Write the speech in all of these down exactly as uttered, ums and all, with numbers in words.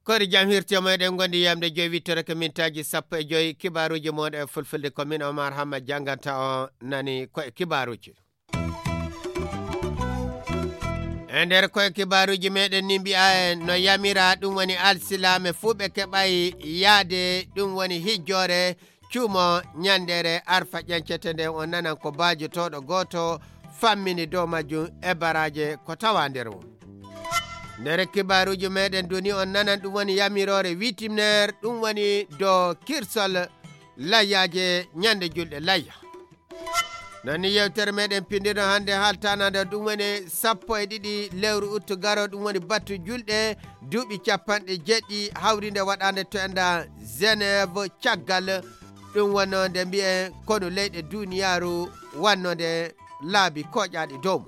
Kori jam hirti mo eɗen gondi yamde joyi wittere ko mintaaji sappo e joyi. Kibaaruuji mon e fulfulde ko min Omar Hamma jannganta o nani ko e kibaaruuji. E nder koye kibaaruuji meɗen ni mbiya en no yamira ɗum woni alsilaame fuu ɓe keɓay yaade ɗum woni hijjoore cuumo ñandeere arfa ƴancete nden on nanan ko baajotooɗo gooto fammini dow majjum e baraaje ko tawa nder mum. Nder kibaaruuji meɗen duni on nanan ɗum woni yamiroore witimneer ɗum woni dow kirsol layyaaje ñande julɗe layya. Non ni yewtere meɗen pindirno hannde haaltanande ɗum woni sappo e ɗiɗi lewru uttu garo ɗum woni battu julɗe duuɓi capanɗe jeɗɗi hawrinde waɗande to enda Genève caggal ɗum wonno nde mbiyen konu leyɗe duniyaaru wanno nde laabi koƴaaɗi dow mum.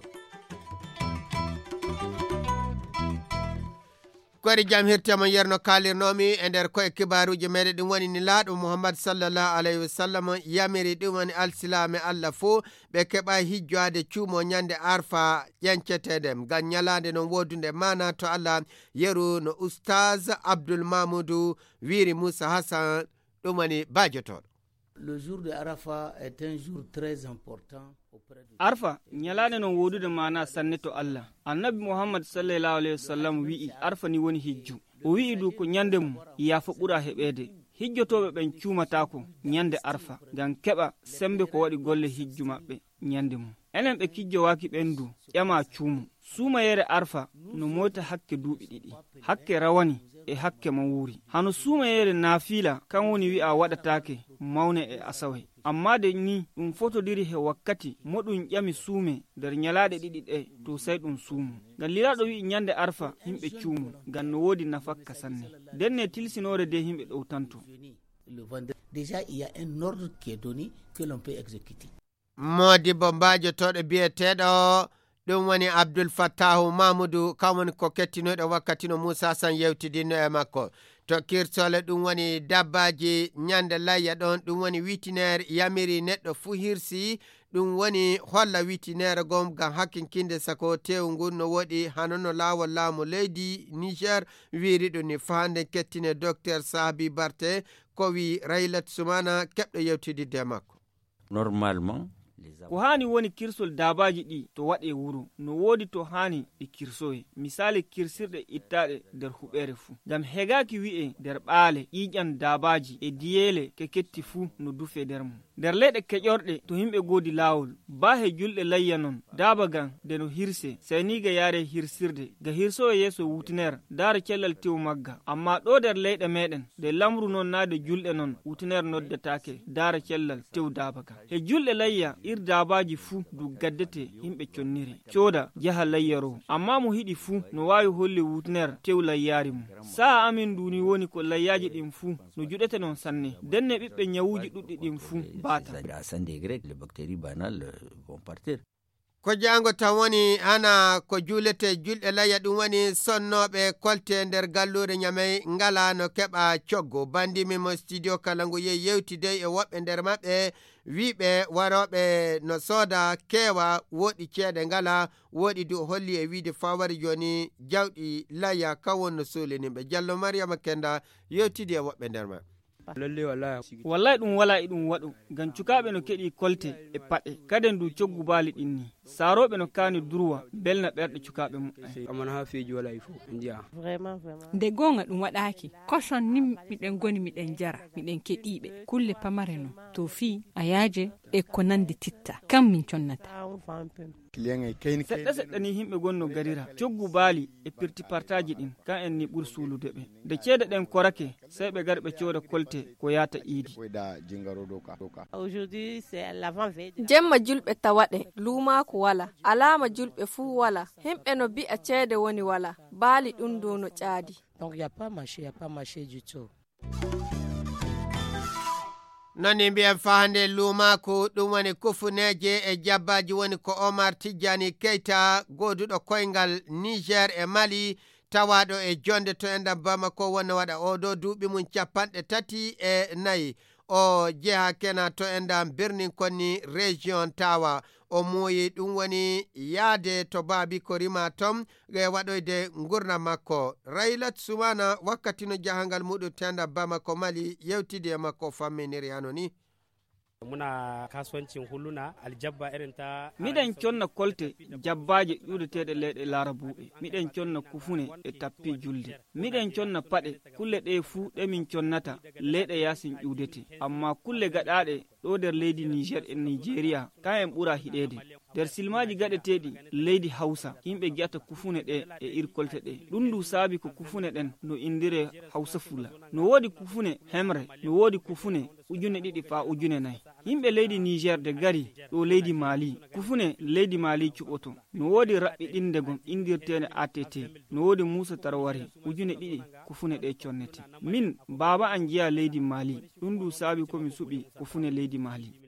Kori jam hirte mon yerno kaalirnomi e nder koye kibaaruuji meɗen ɗum woni nilaaɗo Muhammad sallallahu alayhi wa sallam yamiri ɗum woni alsilaame Allah fuu ɓe keɓa hijjoade cuumo ñande arfa ƴenceteende ngam ñalaande non woodunde maana to Allah yeru no Oustaz Abdul Mamoudou wiiri Moussa Hassan ɗum woni baajotoɗo. Le jour de Arafat est un jour très important auprès de Arfa ñalaande non woodude maana sanne to Allah. Annabi Muhammad sallallahu alayhi wa sallam wi'i Arfa ni woni hijju. O wi'i du ko ñande mum yaafa ɓura heɓeede. Hijjotooɓe ɓen cuumataako ñande Arfa ngam keɓa sembe ko waɗi golle hijju maɓɓe ñande mum. Enen ɓe kijjowaaki ɓen du ƴama cuumu. Suumayeere Arfa no moyta hakke duuɓi ɗiɗi. Hakke rawani e hakke mawuuri. Hano suumayeere naafiila kan woni wi'a waɗataake mawne e asaway. Amma de ni ɗum fotodiri he wakkati mo ɗum ƴami suume nder ñalaaɗe ɗiɗi ɗe to sey ɗum suumu. Ngam lilaaɗo wi'i ñande Arfa yimɓe cuumu ngam no woodi nafakka sanne. Nden ne tilsinoore de yimɓe ɗowtanto. Le vendredi, déjà, il y a un ordre qui est donné que l'on peut exécuter. Moodibbo mbaajotooɗo biyeteeɗo ɗum woni Abdul Fattahu Mamudu, kam woni ko kettinoyɗo wakkati no Muusa San yewtidinno e makko. To kirsole ɗum woni dabbaaji ñande layya ɗon, ɗum woni witineer yamiri neɗɗo fuu hirsi, ɗum woni holla witineere gom ngam hakkinkinde sako teewu ngun no woɗi hano no laawol laamu leydi Niger wiiri ɗum ni. Faa nden kettine Docteur Sahabi Barte ko wi Raylat Sumana keɓɗo yewtididde e makko. Normalement, les Ko haani woni kirsol daabaaji ɗi to waɗe wuro, no woodi to haani ɗi kirsoye. Misaali kirsirɗe ittaaɗe nder huɓeere fuu. Ngam hegaaki wi'e nder ɓaale, ƴiiƴan daabaaji e diyeele ke ketti fuu no dufe nder mum. Nder leyɗe keƴorɗe to yimɓe goodi laawol, baa he julɗe layya non, daaba gan nde no hirse, sey ni ga yaare hirsirde, ga hirsoye yeeso wutiner, daara cellal tew magga. Amma ɗo nder leyɗe meɗen, ɗe lamru non naa de julɗe non, wutiner noddetaake, daara cellal tew daaba gan. He julɗe layya, ir daabaaji fuu du gaddete yimɓe connire, cooda, jaha layyaro. Amma mo hiɗi fuu no waawi holli wutiner tew layyaari mum. Sa'a amin ndu ni woni ko layyaaji ɗin fuu no juɗete non sanne. Denne ɓiɓɓe ñawuuji ɗuɗɗi ɗin fuu baata. À cent degrés, les bactéries banales, euh, vont partir. Ko jaango tan woni hana ko juulete julɗe layya, ɗum woni sonnooɓe kolte nder galluure Ñamey ngala no keɓa coggu. Bandimi mo studio kala ngu yehi yewtidey e woɓɓe nder maɓɓe, wiiɓe warooɓe no sooda keewa, woɗi ceede ngala, woɗi du holli e wiide fawari jooni jawɗi layya kan won no suulinimɓe. Jallo Mariama Kenda yewtidi e woɓɓe nder maɓɓe. Lalle wallahi. Wallahi ɗum wala e ɗum waɗo, ngam cukaaɓe no keɗi kolte e paɗe, kaden du coggu baali ɗin ni. Saarooɓe no kaani durwa, belna ɓerɗe cukaaɓe muɓɓen. Amana ha feeji wala il faut, ndiya. Vraiment, vraiment. Nde goonga ɗum waɗaaki, koson ni miɗen ngoni miɗen njara, miɗen keɗiiɓe. Kulle pamare non, to fii, ayaaje, e ko nandi titta. Kam min connata. Seɗɗa seɗɗa ni yimɓe gonno garira, coggu baali e pirti partaaji ɗin, kan en ni ɓuri suulude ɓe. Nde ceede ɗen korake, sey ɓe gar ɓe cooda kolte ko yaata iidi. Jemma julɓe tawaɗe, luumaaku wala, alaama julɓe fuu wala, himɓe no bi'a ceede woni wala, baali ɗum dow no ƴaadi. Donc, y a pas marché, y a pas marché du tout. Non ni mbiyen fahande luumaaku, ɗum woni kufuneeje e jabbaaji woni ko Omar Tijjani Keita, gooduɗo koyngal Niger e Mali, tawaaɗo e jonde to enɗam Bamako, wonno waɗa oo ɗoo duuɓi mum capanɗe tati e nayi. o jeha kena to enɗan Birnin Konni, région Tawa. O muuyi ɗum woni yahde to baabi ko rima ton e waɗoyde ngurndan makko. Raylat Sumana wakkati no jahangal muɗum tenda Bamako Mali yewtidi e makko famminiri hano ni. Muna kasuwancin huluna aljabba irin ta Miɗen conna kolte jabbaaje ƴuudeteeɗe leyɗe Laarabuuɓe. Miɗen conna kufune e tappi julde. Miɗen conna paɗe. Kulle ɗe fuu ɗe min connata leyɗe yaasin ƴuudete. Amma kulle gaɗaaɗe ɗo nder leydi Niger e Nigeria, ka en ɓura hiɗeede. Nder silmaaji gaɗeteeɗi leydi Hausa, yimɓe gi'ata kufune ɗe e ir kolte ɗe. Ɗum ndu saabi ko kufune ɗen no indire Hausa Fula. No woodi kufune hemre, no woodi kufune ujune ɗiɗi faa ujune nayi. Yimɓe leydi Niger de gari ɗo leydi Mali, kufune leydi Mali cuɓoto. No woodi raɓɓiɗinde gom indirteene A T T, no woodi Musa Tarware, ujune ɗiɗi kufune ɗe connete. Min, baaba an jeya leydi Mali, ɗum ndu saabi ko mi suɓi kufune leydi Mali.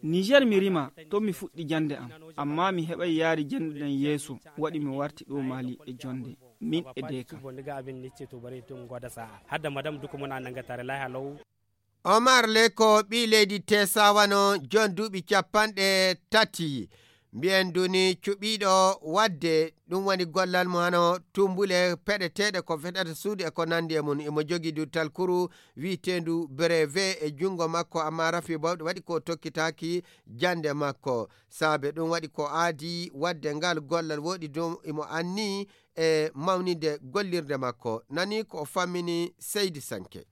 Niger mi rima, to mi fuɗɗi jannde am, amma mi heɓay yaari jannde nden yeeso, waɗi mi warti ɗo Mali e jonde, min e deeka. Hadda madam duka muna nangatare lahi halaw. Omar Leko ɓii leydi Tesa wano jon duuɓi capanɗe tati. Mbiyen duni cuɓiiɗo waɗde ɗum woni gollal mo hano tumbule peɗeteeɗe ko feɗata suudu e ko nandi e mum. Imo jogii du talkuru wiyeteendu breve e junngo makko, amma rafi bawɗe waɗi ko tokkitaaki jannde makko. Saabe ɗum waɗi ko aadi waɗde ngal gollal woɗi du imo anni e mawninde gollirde makko. Nani ko o fammini Seydi Sanke.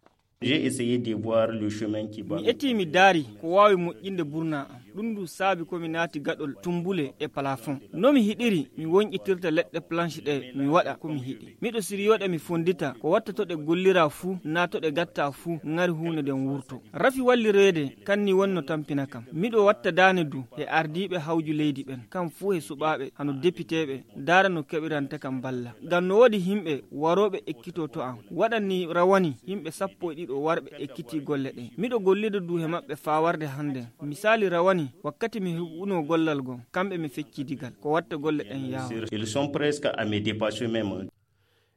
J'ai essayé de voir le chemin qui va. Mi etii mi daari ko waawi moƴƴinde burnaa am. Ɗum ndu saabi ko mi naati gaɗol tumbule e plafond. No mi hiɗiri, mi wonƴitirta leɗɗe planche ɗe, mi waɗa ko mi hiɗi. Miɗo siriyooɗe mi fonndita ko watta to ɗe gollira fuu, naa to ɗe gatta fuu, ŋari huunde nden wurto. Rafi wallireede, kan ni wonno tampina kam. Miɗo watta daane du e ardiiɓe hawju leydi ɓen, kam fuu e suɓaaɓe, hano depiteeɓe, daara no keɓiranta kam balla. Ngam no woodi himɓe warooɓe ekkito to am. Waɗan ni rawani yimɓe sappo e ɗiɗo warɓe ekkitii golle ɗen. Miɗo gollida du he maɓɓe faa warde hannden. Misaali rawani, wakkati mi heɓuno gollal gom, kamɓe mi fecci digal. Ko watta golle ɗen yaawa. Ils sont presque à me dépasser même.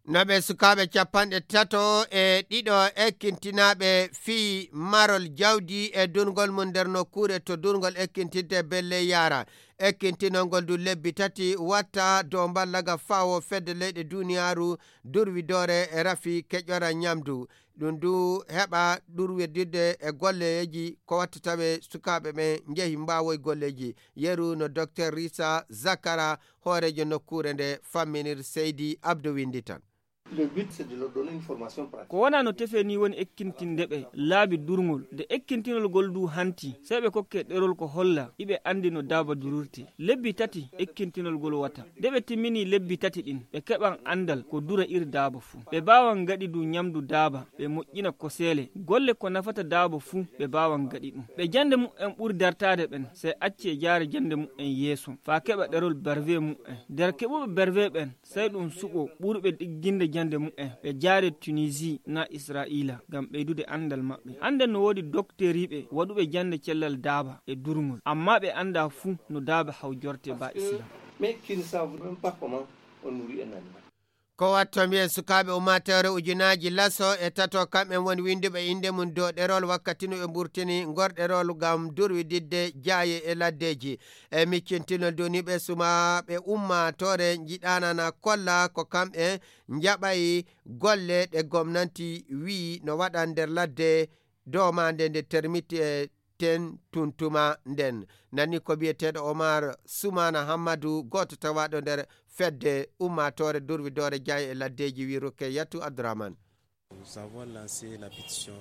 No ɓe sukaaɓe capanɗe tato e ɗiɗo ekkintinaaɓe fii marol jawdi e durngol mum nder nokkuure to durngol ekkintinte belle yaara. Ekkintinol ngol du lebbi tati watta dow mballaga fawo fedde leyɗe duniyaaru durwidoore e rafi keƴora ñamdu. Ɗum du heɓa ɗurwidirde e golleeji ko watta tawe sukaaɓe ɓen njehi mbaawoy golleeji. Yeru no Docteur Risa Zakara, hooreejo nokkuure nde famminir Seydi Abdou Winndi tan. Le but, c'est de leur donner une formation pratique. Ko wona no tefe ni woni ekkintinde ɓe laabi durngol. Nde ekkintinol ngol du hanti, sey ɓe kokke ɗerol ko holla iɓe anndi no daaba durirte. Lebbi tati ekkintinol ngol wata. Nde ɓe timmini lebbi tati ɗin, ɓe keɓan anndal ko dura ir daaba fuu. Ɓe baawan ngaɗi du ñamdu daaba, ɓe moƴƴina koseele. Golle ko nafata daaba fuu, ɓe baawan ngaɗi ɗum. Ɓe jannde mu'en ɓuri dartaade ɓen, sey acce jaare jannde mu'en yeeso, faa keɓa ɗerol berve mu'en. Nder keɓuɓe berve ɓen, sey ɗum suɓo ɓurɓe ɗigginde jannde mu'en, ɓe jaare Tunisie naa Israa'iila, ngam ɓeydude anndal maɓɓe. Annden no woodi dokteeriiɓe waɗuɓe jannde cellal daaba e durngol, ammaa ɓe anndaa fuu no daaba hawjorte baa Islam. Mais qui ne savent même pas comment on nourrit un animal. Ko watto mbiyen sukaaɓe ummaatoore ujunaaji laso e tato, kamɓen woni winnduɓe innde mum dow ɗerol wakkati no ɓe mburtini ngor ɗerol ngam durwididde jaaye e laddeeji. E miccintinol duniiɓe sumaaɓe ummaatoore njiɗaanana kolla ko kamɓe njaɓay golle ɗe gomnanti wi'i no waɗa nder ladde domaande nde termiti e ten tuntuma nden. Nani ko biyeteeɗo Omar Sumana Hammadu, gooto tawaaɗo nder fedde ummaatoore durwidoore jaaye e laddeeji, wi Rukeyatu Abdourahmane. Nous avons lancé la pétition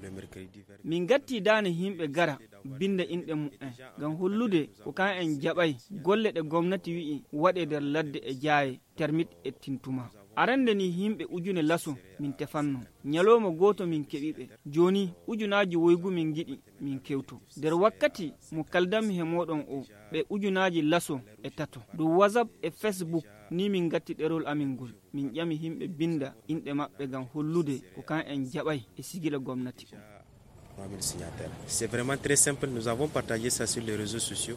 le mercredi vingt. Min gatti daane yimɓe gara binda inɗe mu'en ngam hollude ko kan en jaɓay golle ɗe gomnati wi'i waɗe nder ladde e jaaye, termit e tintuma. Arande ni yimɓe ujune laso min tefanno. Ñalawma gooto min keɓi ɓe. Jooni ujunaaji woygu min ngiɗi min kewto. Nder wakkati mo kaldanmi he mooɗon o, ɓe ujunaaji laso e tato. Dow WhatsApp e Facebook ni min ngatti ɗerol amin ngol. Min ƴami yimɓe binda inɗe maɓɓe ngam hollude ko kan en jaɓay e sigila gomnati o. Trois mille signataires. C'est vraiment très simple. Nous avons partagé ça sur les réseaux sociaux.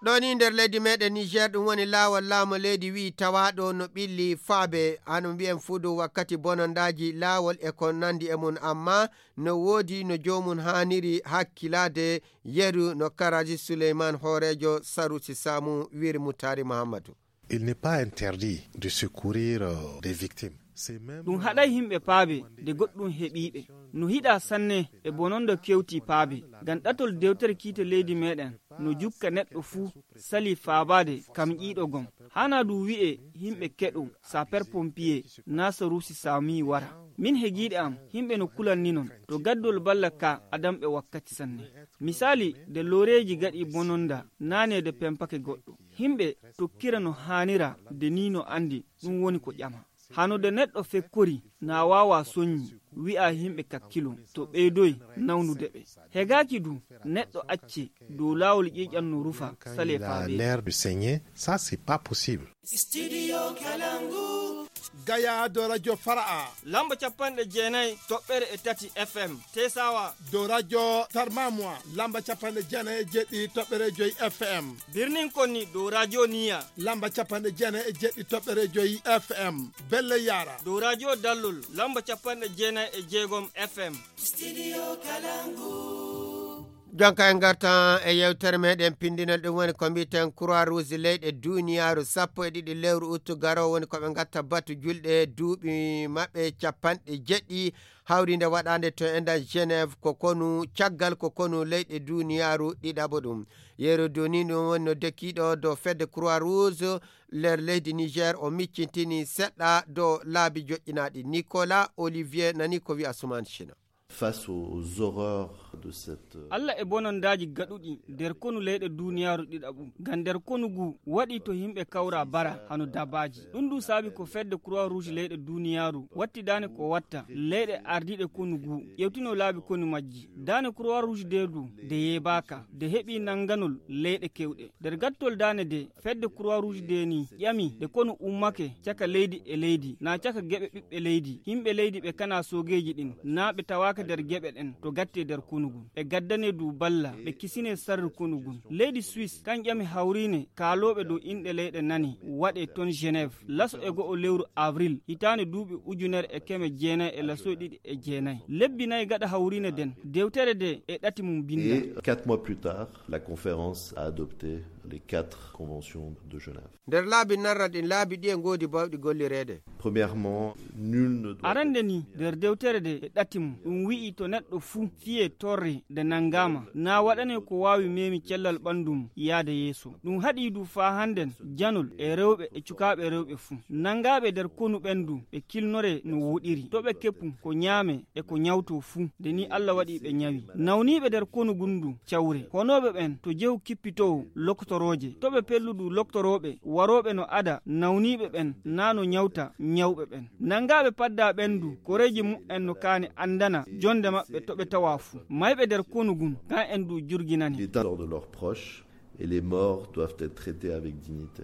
Ɗo ni nder leydi meɗen Niger, ɗum woni laawol laamu leydi wi'i tawaaɗo no ɓilli faabe, hano mbi'en fuu dow wakkati bonondaaji laawol e ko nandi e mum, amma no woodi no joomum haaniri hakkilaade. Yeru no Karaji Suleyman, hooreejo Sarusi Samu, wiri Mutari Muhammadu. Il n'est pas interdit de secourir, euh, des victimes. C'est même, ɗum haɗay yimɓe paabe de goɗɗum heɓiiɓe. No hiɗa sanne e bononda kewti paabe. Ngam ɗatol dewtere kiite leydi meɗen no jukka neɗɗo fuu sali faabaade kam ƴiiɗo gom. Hana ɗum wi'e yimɓe keɗo, sapeur pompier, na Sarusi Sami wara. Min hegiiɗe am, yimɓe no kulanni non. To gaddol balla ka adamɓe wakkati sanne. Misali, de looreeji gaɗi bononda, naane de pempake goɗɗo. Yimɓe tokkira no haanira de ni no andi ɗum woni ko ƴama. Hano de neɗɗo fekkori na waawa soñi, wi'a yimɓe kakkilo, to ɓeydoy nawnude ɓe. Hegaaki du, neɗɗo acce dow laawol ƴiiƴan no rufa, sale faabe. L'air de saigner, ça c'est pas possible. Studio Kalangu. Gaya do Radio Fara'a. Lamba capanɗe jeenayi toɓɓere e tati F M. Tesawa. Do Radio Tarmamwa. Lamba capanɗe jeenayi e jeɗɗi toɓɓere joyi F M. Birnin Konni do Radio Niya. Lamba capanɗe jeenayi e jeɗɗi toɓɓere joyi F M. Belle Yara. Do Radio Dallol. Lamba capanɗe jeenayi e jeegom F M. Studio Kalangu. Jonka en ngartan e yewtere meɗen pindinol, ɗum woni ko mbiten Croix Rouge leyɗe duniyaaru. Sappo e ɗiɗi lewru uttu garo woni ko ɓe ngatta batu julɗe duuɓi maɓɓe capanɗe jeɗɗi, hawrinde waɗande to enɗan Genève ko konu, caggal ko konu leyɗe duniyaaru ɗiɗaɓo ɗum. Yeru duni ɗum woni no dekiɗo do fedde Croix Rouge nder leydi Niger, o miccintini seɗɗa do laabi joƴƴinaaɗi. Nicolas Olivier nani ko wi'a Suman China. Face aux horreurs de cette, euh, Allah e bonondaaji gaɗuɗi nder konu leyɗe duniyaaru ɗiɗaɓu, ngam nder konu ngu waɗi to yimɓe kawra bara hano dabaaji. Ɗum ɗum saabi ko fedde Croix Rouge leyɗe duniyaaru wattidani ko watta leyɗe ardiiɗe konu ngu ƴewtino laabi konu majji. Daane Croix Rouge de du de yeebaaka, de heɓi nanganol leyɗe kewɗe. Nder gattol daane de, fedde Croix Rouge de ni ƴami de konu ummake caka leydi e leydi, na caka geɓe ɓiɓɓe leydi. Yimɓe leydi ɓe kana soogeeji ɗin, na ɓe tawaaka nder geɓe ɗen to gatte nder konu ngun. Ɓe gaddane du balla, ɓe kisine sarru konu ngun. Leydi Suisse kan ƴami hawriine kaalooɓe dow inɗe leyɗe nani waɗe ton Genève, laso e go'o lewru avril, hitaande duuɓi ujunere e keme jeenayi e lasoy ɗiɗi e jeenayi. Lebbi nayi gaɗa hawriine den, dewtere de e ɗati mum binda. Et quatre mois plus tard, la conférence a adopté les quatre conventions de Genève. Nder laabi narra ɗin, laabi ɗi e ngoodi bawɗi gollireede. Premièrement, nul ne doit... Arande ni, nder dewtere de e ɗati mum, ɗum wi'i to neɗɗo fuu fiye torre de nangama, na waɗane ko waawi memi cellal ɓandu mum yaade yeeso. Ɗum haɗi du faa hannden janol e rewɓe e cukaaɓe rewɓe fuu. Nangaaɓe nder konu ɓen du ɓe kilnore no woɗiri. To ɓe keppu ko ñaame e ko ñawto fuu. Nde ni Allah waɗi ɓe ñawi. Nawniiɓe nder konu ngun du cawre. Honooɓe ɓen to jehu kippitoowo loktorooje. To ɓe pellu du loktorooɓe warooɓe no ada nawniiɓe ɓen na no ñawta ñawɓe ɓen. Nangaaɓe padda ɓen du koreeji muɓɓen no kaani andana jonde maɓɓe to ɓe tawa fuu. Mayɓe nder konu ngun kan en du jurginani. L'état de leurs proches et les morts doivent être traités avec dignité.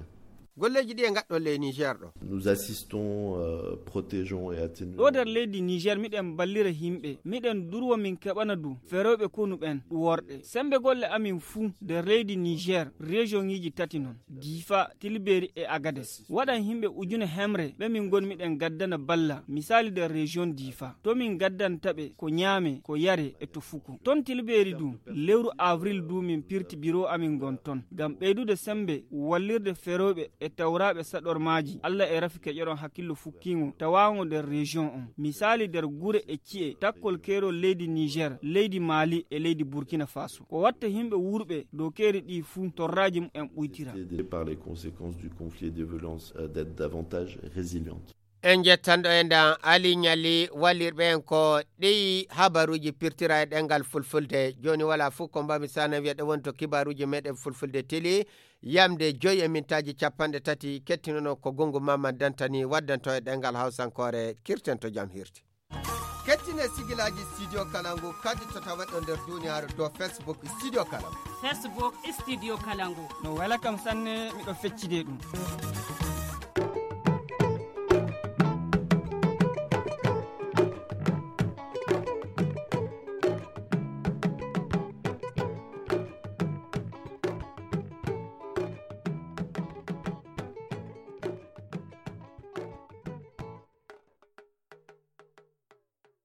Golleeji ɗi e ngaɗɗon ley Niger ɗo. Nous assistons, euh, protégeons et atténuons. Ɗo nder leydi Niger miɗen ballira yimɓe, miɗen durwa min keɓana du ferooɓe konu ɓen ɗu worɗe. Sembe golle amin fuu nder leydi Niger, région ŋiji tati non, Difa, Tilberi e Agades. Waɗan yimɓe ujune hemre ɓe min ngon miɗen gaddana balla, misali nder région Difa. To min gaddanta ɓe ko ñaame, ko yare e to fuko. Ton Tilberi du, lewru avril du min pirti biro amin ngon ton. Ngam ɓeydude sembe, wallirde ferooɓe e tawraaɓe saɗormaaji, Allah e rafi keƴoɗon hakkillo fukkiingo tawaaŋgo nder région on. Misali nder gure e ci'e, takkol keerol leydi Niger, leydi Mali e leydi Burkina Faso. Ko watta yimɓe wurɓe dow keeri ɗi fuu torraaji mumen ɓuytira. Par les conséquences du conflit et des violences, euh, d'être davantage résilientes. En jettanɗo e ndan Ali Ñali wallirɓe en ko ɗi habaruuji pirtira e ɗemngal Fulfulde. Jooni wala fuu ko mbami sana wiya ɗo woni to kibaruuji meɗen Fulfulde Tili. Yamde joyi e mintaaji capanɗe tati kettinono ko gongu Mamman Dantani waddanto e ɗemngal Hawsankoore. Kirten to jam hirti. Kettine sigilaaji Studio Kalangu kaddi to tawaɗo nder duniyaaru dow Facebook Studio Kalangu. Facebook Studio Kalangu. No wela kam sanne, miɗo feccide ɗum.